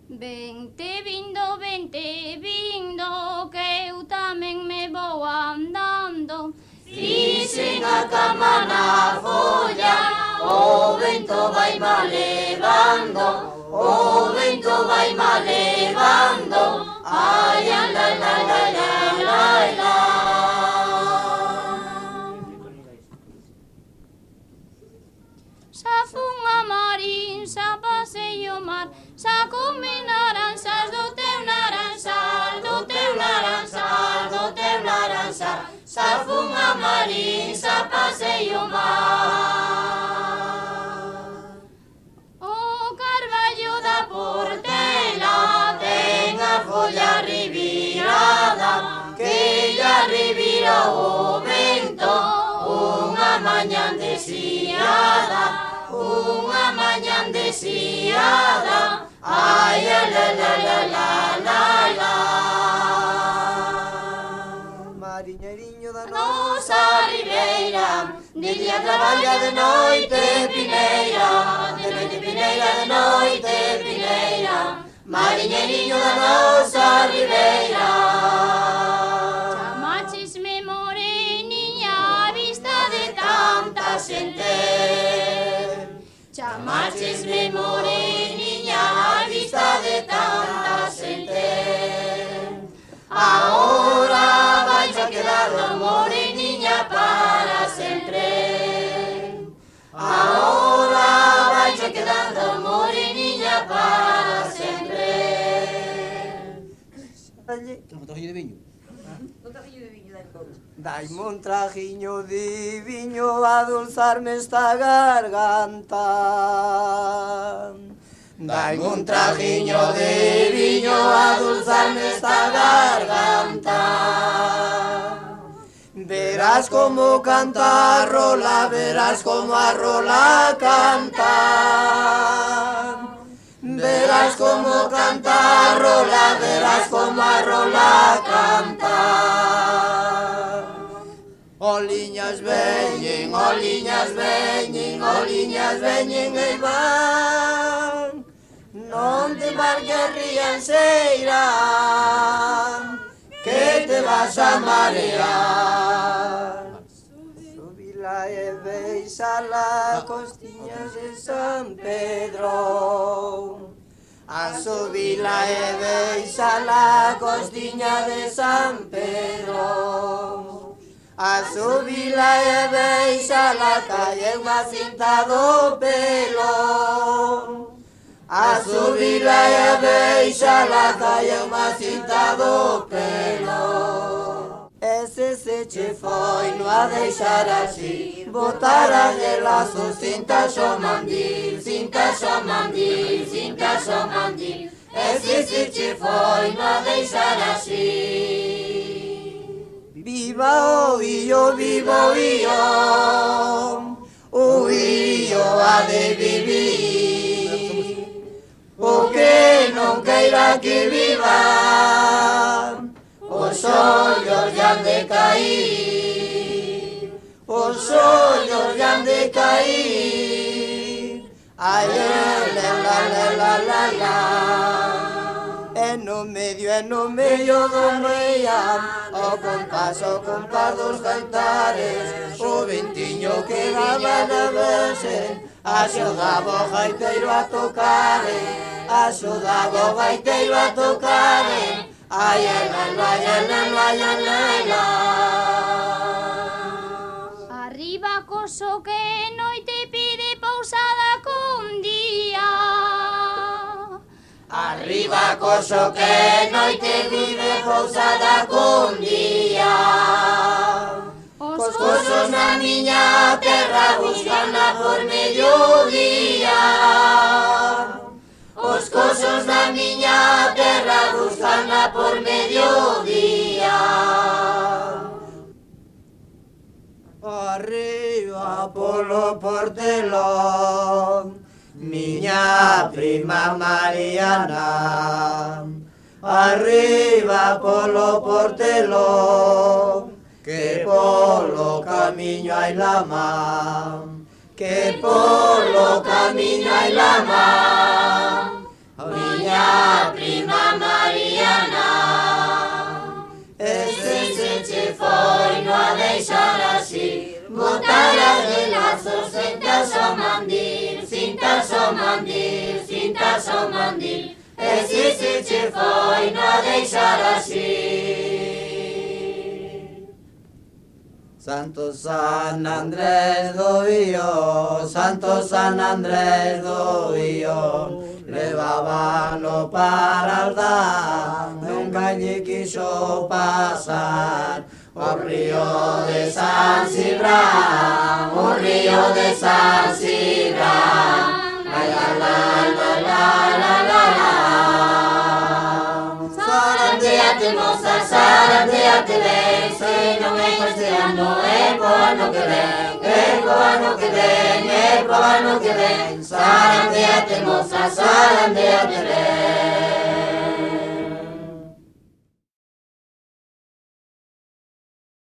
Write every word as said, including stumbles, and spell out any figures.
Vente vindo, vente vindo, que eu tamén me vou andando. Fixen a cama na folla, o vento vai má levando, o vento vai má levando, ai, ai, ai, ai, ai, ai, ai, ai. Xa fun a marín, xa pasei o mar, xa comi naranxas do teu naranxal, do teu naranxal, do teu naranxal. Xa fun a marín, xa pasei o mar. O carballo da portela ten a folla revirada, que lla revira o vento, unha mañan desviada, unha mañan desviada, ai, ai, la, la, la, la, la, la. Mariñeriño da Nosa ribeira, de día traballa, de noite pineira, de noite pineira, de noite pineira, mariñeriño da nosa ribeira. chamachisme moreniña a vista de tanta xente. Chamachisme moreniña a vista de tanta xente. Ahora vais a quedar moreniña para sempre. Ahora vais a quedar moreniña para sempre. Un trajillo de viño. Daime un trajiño de viño a dulzarme esta garganta. Daime un trajiño de viño a dulzarme esta garganta. Verás como canta a rola, verás como a rola canta. Verás como canta a rola, verás como a rola canta. Oliñas veñen, Oliñas veñen, oliñas veñen e van. Non te marques rianxeira, que te vas a marear. Subila e beixala costiñas de San Pedro. A subila e beixala costiña de San Pedro. A subila e beixala calle unha cinta do pelo. A subila e beixala calle unha cinta do pelo. Ese se che Foi no a deixar así, botar de lazo, cinta xo mandil, cinta xo mandil, cinta xo mandil. Ese se che foi no a deixar así. viva o illo, Vivo io, o io ha de vivir. O que non queira que viva, os ollos lle han de cair, os ollos lle han de cair. Ai, la, la, la, la, la, la. e no medio, e no medio do meiam, O compás, o compás dos cantares, o ventiño que daba na verse, axudaba o gaiteiro a tocare, axudaba o gaiteiro a tocare. Ai, ai, ai, ai, ai, ai, ai, ai, ai, ai. Arriba coso que noite pide pousada cun día. Arriba coso que noite vive pousada cun día. Os cosos na miña terra buscana por mediodía. Os cosos na miña terra buscana por mediodía. arriba polo portelón, miña prima Mariana, arriba polo portelón, que polo camiño hai lama, que polo camiño hai lama, miña varas de lazos, cintas o mandil, cintas o mandil, cintas o mandil. E si si che foi no deixar así. Santo San Andrés do Io, Santo San Andrés do Io, levábano para aldar, nunca lle quiso pasar. O río de San Cibrán, o río de San Cibrán, la la la la la la la la. Zarandeate moza, zarandeate ben, se non é este ano, é co ano que ven, é co ano que ven, é co ano que ven. Zarandeate moza, zarandeate ben.